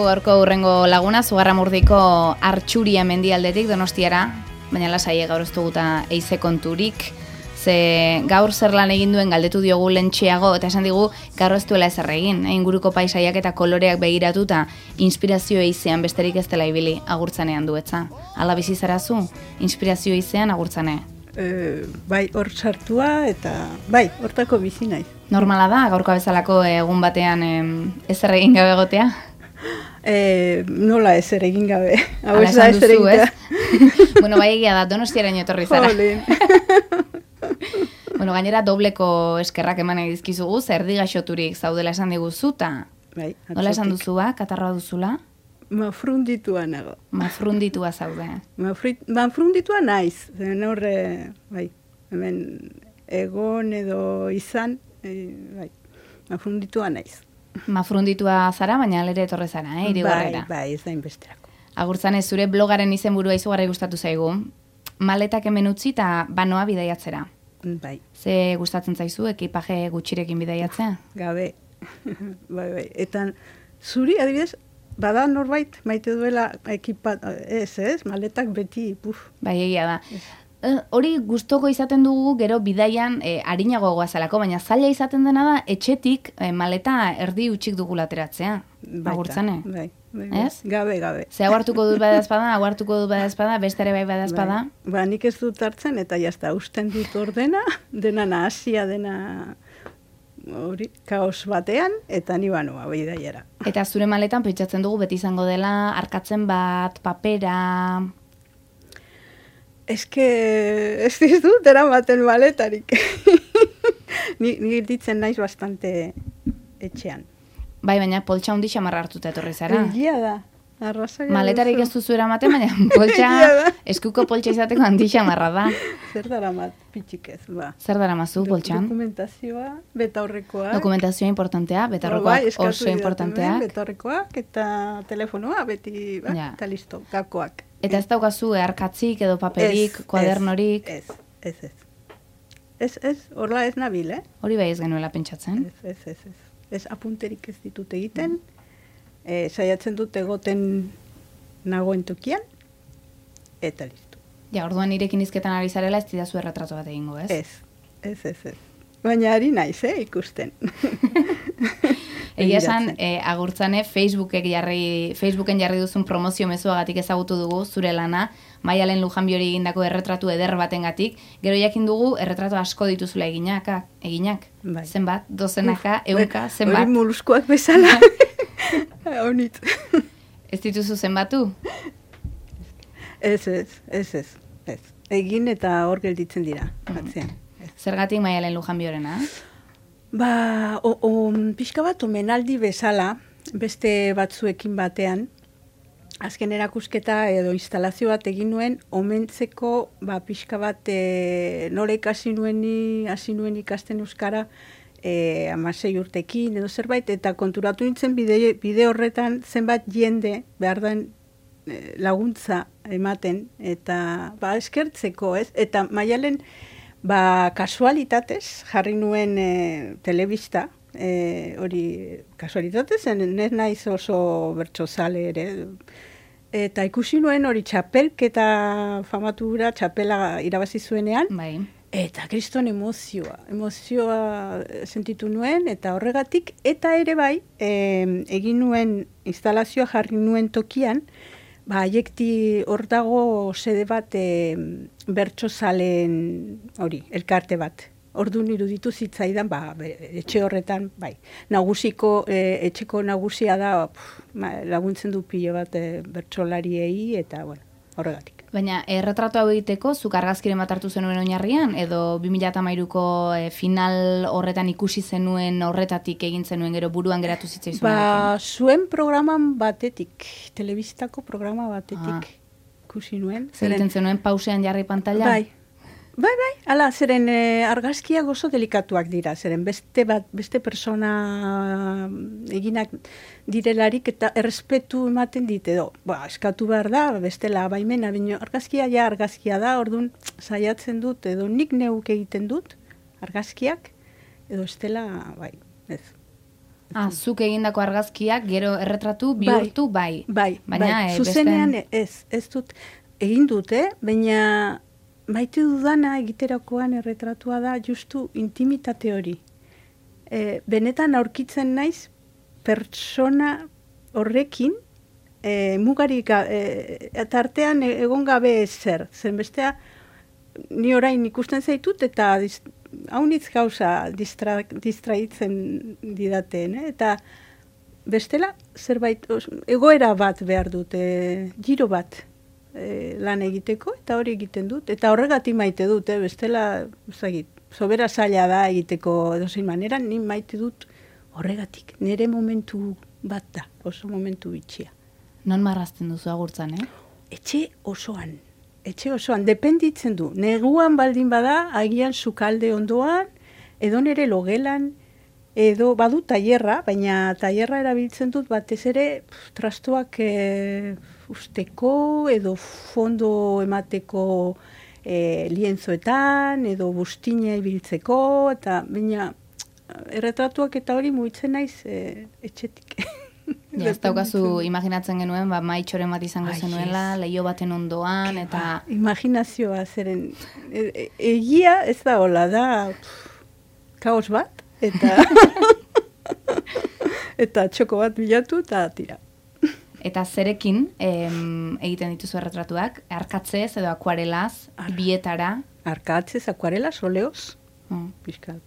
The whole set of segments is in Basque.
Gaurko hurrengo laguna, Zugarramurdiko Artxuria mendialdetik Donostiara, baina lasai gaur ez duguta eize konturik, ze gaur zer lan egin duen galdetu diogu lentxeago, eta esan digu gaur ez duela ezer egin, inguruko paisaiak eta koloreak begiratuta, inspirazio eizean besterik ez dela ibili agurtzanean duetza. Hala bizi zarazu, inspirazio eizean agurtzane. Bai, hor sartua eta bai, hortako bizi naiz. Normala da, gaurko bezalako egun batean ezer egin gabe egotea? Nola ezer egin gabe. Hala esan duzu, ez? Bueno, bai egia da, Donostiaraino etorri zara. Bueno, gainera dobleko eskerrak eman dizkizugu, erdi gaixoturik zaudela esan diguzu, eta bai, nola esan duzu ba, katarroa duzula? Mafrunditua nago. Mafrunditua zaude. Mafrunditua naiz. Horre, bai, hemen egon edo izan, bai, mafrunditua naiz. Mafrunditua zara, baina alere etorre zara, Irigorrera. Bai, ez da inbesterako. Agurtzane, zure blogaren izenburua izugarri gustatu zaigu. Maletak hemen utzi eta banoa bidaiatzera. Bai. Ze gustatzen zaizu, ekipaje gutxirekin bidaiatzea? Gabe. Bai. Eta zuri, adibidez, bada norbait maite duela ekipat, ez, maletak beti, puf. Bai, egia da. Hori gustoko izaten dugu gero bidaian arinago goazalako, baina zaila izaten dena da etxetik maleta erdi utxik dugula ateratzea. Agurtzane. Bai. Ez? Gabe. Ze aguartuko dut badazpada, beste ere bai badazpada. Ba, nik ez dut hartzen eta jazta, usten dut ordena, dena nahasia, dena hori, kaos batean, eta ni banoa bidaiara. Eta zure maletan pentsatzen dugu beti izango dela, arkatzen bat, papera... Ez dut eramaten maletarik. Ni ditzen naiz bastante etxean. Bai, baina poltsa hundi xamarra hartuta etorri zara. Egia da. Arrasaia maletarik ez duzu eramaten, baina poltsa, eskuko poltsa izateko handi xamarra da. Zer daramat pitxik ez, ba. Zer daramazu poltsan? Dokumentazioa, betaurrekoak. Dokumentazioa importantea, betaurrekoak oso importanteak. Betaurrekoak eta telefonoa beti, ba, Ja. eta listo, gakoak. Eta ez daukazu arkatzik edo paperik, kuadernorik? Ez, horla ez nabil, Hori bai ez genuela pentsatzen. Ez apunterik ez ditut egiten, saiatzen dut egoten nagoen tokian, eta listo. Ja, orduan nirekin izketan ari zarela ez didazu erretratu bat egingo, ez? Ez. Baina ari naiz, ikusten. Egia esan, agurtzane, Facebooken jarri duzun promozio mezuagatik ezagutu dugu zure lana, Maialen Lujanbiori egindako erretratu eder batengatik, gero jakin dugu erretratu asko dituzula eginak. Bai. Zenbat, dozenaka, ehunka, zenbat. Hori moluskoak bezala. Honit. Ez dituzu zenbatu? Ez. Egin eta hor gelditzen dira, atzean. Zergatik Maialen Lujanbiorena? Ba, pixka bat omenaldi bezala, beste batzuekin batean, azken erakusketa edo instalazio bat egin nuen, omentzeko pixka bat nola hasi nuen ikasten euskara 16 urtekin edo zerbait, eta konturatu nintzen bide horretan zenbat jende behar den laguntza ematen, eta eskertzeko, ez? Eta Maialen, kasualitatez jarri nuen telebista, hori kasualitatez, ez naiz oso bertsozale ere, eta ikusi nuen hori txapelketa famatura, txapela irabazi zuenean, Bai. eta kriston emozioa sentitu nuen, eta horregatik, eta ere bai, egin nuen instalazioa jarri nuen tokian, haiekti hor dago sede bat bertsozaleen hori, elkarte bat. Orduan iruditu zitzaidan, etxe horretan, bai. Nagusiko, etxeko nagusia da, laguntzen du pilo bat bertsolariei, eta, bueno, horregatik. Baina, erretratu hau egiteko, zuk argazkiren bat hartu zenuen oinarrian, edo 2013ko final horretan ikusi zenuen horretatik egin zenuen gero buruan geratu zitzaizuenekin? Zuen programan batetik, telebistako programa batetik ikusi nuen. Zer egiten zenuen pausean jarri pantalla? Bai, ala, zeren argazkiak oso delikatuak dira, zeren beste persona eginak direlarik eta errespetu ematen dit edo. Eskatu behar da, bestela baimena, baina argazkia da, orduan saiatzen dut, edo nik neuk egiten dut argazkiak, edo estela, bai, ez. Zuk egindako argazkiak gero erretratu bihurtu bai. Baina zuzenean ez dut egin dute, baina maite dudana egiterakoan erretratua da justu intimitate hori. Benetan aurkitzen naiz pertsona horrekin mugarik eta artean egon gabe zer. Zen bestea ni orain ikusten zaitut eta haunitz gauza distraitzen didaten, eta bestela zerbait egoera bat behar dut, giro bat lan egiteko, eta hori egiten dut, eta horregatik maite dut, bestela sobera zaila da egiteko edozein manera, ni maite dut horregatik, nire momentu bat da, oso momentu bitxia. Non marrazten duzu agurtzan, Etxe osoan, dependitzen du. Neguan baldin bada, agian sukalde ondoan, edo nere logelan, edo badu tailerra, baina tailerra erabiltzen dut batez ere trastuak usteko, edo fondo emateko lienzoetan, edo bustine ibiltzeko, eta baina erretratuak eta hori mugitzen naiz etxetik. Ez daukazu imaginatzen genuen, maitxoren bat izango zenuela, leio baten ondoan, eta... Imaginazioa zeren, egia ez da hola, da kaos bat, eta txoko bat bilatu, eta tira. Eta zerekin egiten dituzu erretratuak, arkatzez edo akuarelaz, bietara? Arkatzez, akuarelaz, oleoz, pixkat.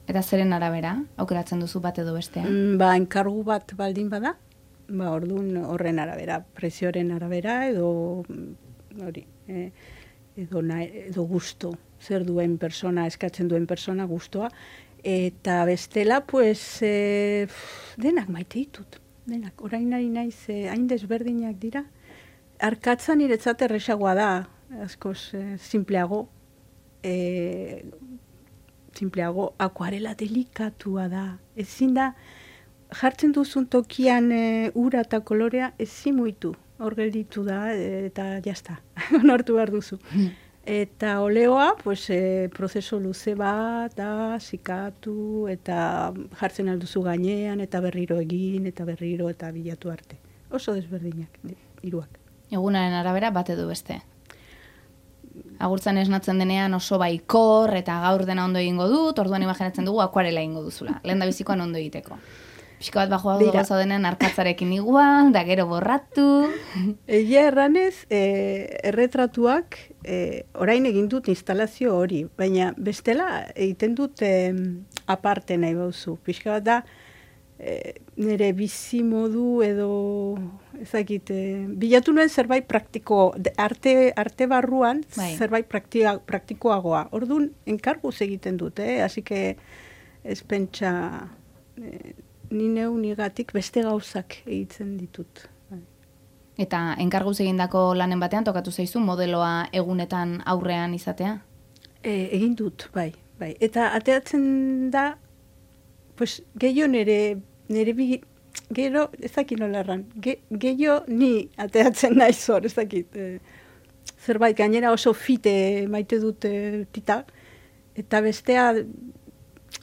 Eta zeren arabera, aukeratzen duzu bat edo bestea? Enkargu bat baldin bada, orduan horren arabera, presioren arabera, edo hori, edo gusto, zer duen persona, eskatzen duen persona gustoa, eta bestela, pues, denak maite ditut, denak, orain ari naiz, hain desberdinak dira, arkatza niretzat erresagoa da, askoz, simpleago, akuarela delikatua da. Ezin da, jartzen duzun tokian ura eta kolorea ezin muitu. Hor gelditu da, eta jazta, onartu behar duzu. Eta oleoa, pues, prozeso luze bat, da, zikatu, eta jartzen alduzu gainean, eta berriro egin, eta berriro, eta bilatu arte. Oso desberdinak, hiruak. Egunaren arabera bat edo beste. Agurtzan esnatzen denean oso baikor eta gaur dena ondo egingo dut, orduan imaginatzen dugu akuarela egingo duzula. Lehen da bizikoan ondo egiteko. Pixka bat bajoa gauza denean arkatzarekin igual, da gero borratu. Egia erranez, erretratuak orain egin dut instalazio hori, baina bestela egiten dut aparte nahi bauzu. Pixka bat da, nire bizi modu edo ezakit, bilatu nuen zerbait praktiko, arte barruan zerbait praktikoagoa. Orduan, enkarguz egiten dut, así que ez pentsa ni neu nigatik beste gauzak egiten ditut. Eta enkarguz egindako lanen batean tokatu zaizu modeloa egunetan aurrean izatea? Egin dut, bai. Eta ateatzen da, pues, gehiago gero, ezakit nola erran, gehiago ni ateatzen naiz hor, ezakit. Zerbait, gainera oso fite maite dut tita, eta bestea,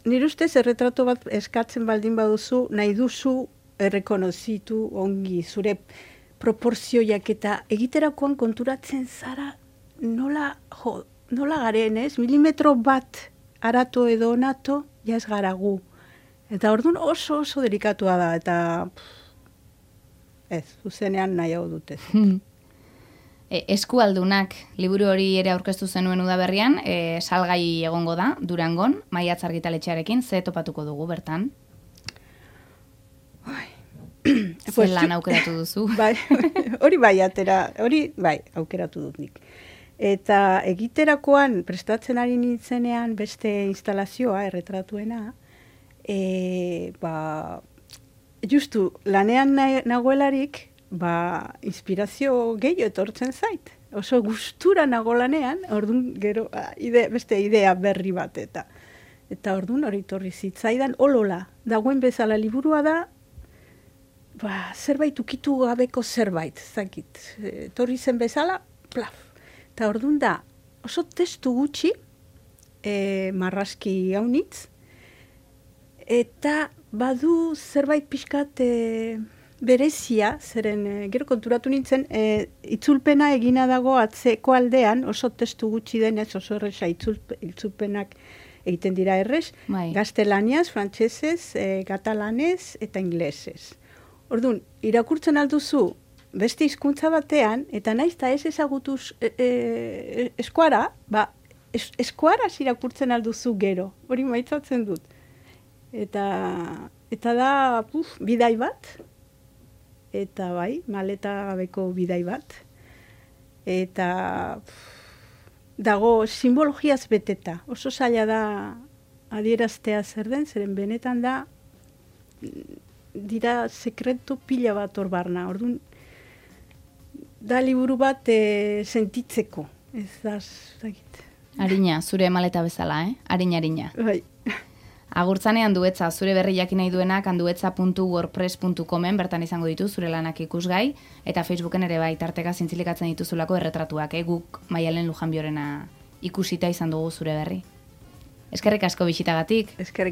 nire ustez erretrato bat eskatzen baldin baduzu, nahi duzu errekonozitu ongi, zure proporzioiak eta egiterakoan konturatzen zara nola garen, ez? Milimetro bat arato edo onato, jaz gara gu. Eta orduan oso delikatua da, eta ez, zuzenean nahi hau dute. Eskualdunak liburu hori ere aurkeztu zenuen udaberrian, salgai egongo da, Durangon, Maiatz argitaletxearekin, ze topatuko dugu bertan? Zelan aukeratu duzu? Hori aukeratu dut nik. Eta egiterakoan, prestatzen ari nintzenean beste instalazioa, erretratuena, justu lanean nagoelarik, inspirazio gehiago etortzen zait. Oso gustura nago lanean, orduan gero beste idea berri bat eta orduan hori torri zitzaidan olola. Dagoen bezala liburua da, zerbait ukitu gabeko zerbait, zakit. Torri zen bezala, plaf. Eta orduan da, oso testu gutxi, marrazki haunitz, eta badu zerbait pixkat berezia, zeren gero konturatu nintzen, itzulpena egina dago atzeko aldean, oso testu gutxi denez, oso erresa itzulpenak egiten dira errez, gaztelaniaz, frantsesez, katalanez eta inglesez. Orduan, irakurtzen alduzu beste hizkuntza batean, eta naiz eta ez ezagutuz eskuara, eskuaraz irakurtzen alduzu gero, hori maitzatzen dut. Eta da, bidai bat, eta bai, maleta gabeko bidai bat, eta dago simbologiaz beteta, oso zaila da adieraztea zer den, zeren benetan da, dira sekretu pila bat hor barna, orduan, da liburu bat sentitzeko, ez da, Arina, zure maleta bezala, Arina. Bai. Agurtzanean Duetza, zure berri jakin nahi duenak anduetza.wordpress.comen bertan izango ditu zure lanak ikusgai, eta Facebooken ere bai tarteka zintzilikatzen dituzulako erretratuak, guk Maialen Lujanbiorena ikusita izan dugu zure berri. Eskerrik asko bisitagatik. Eskerrik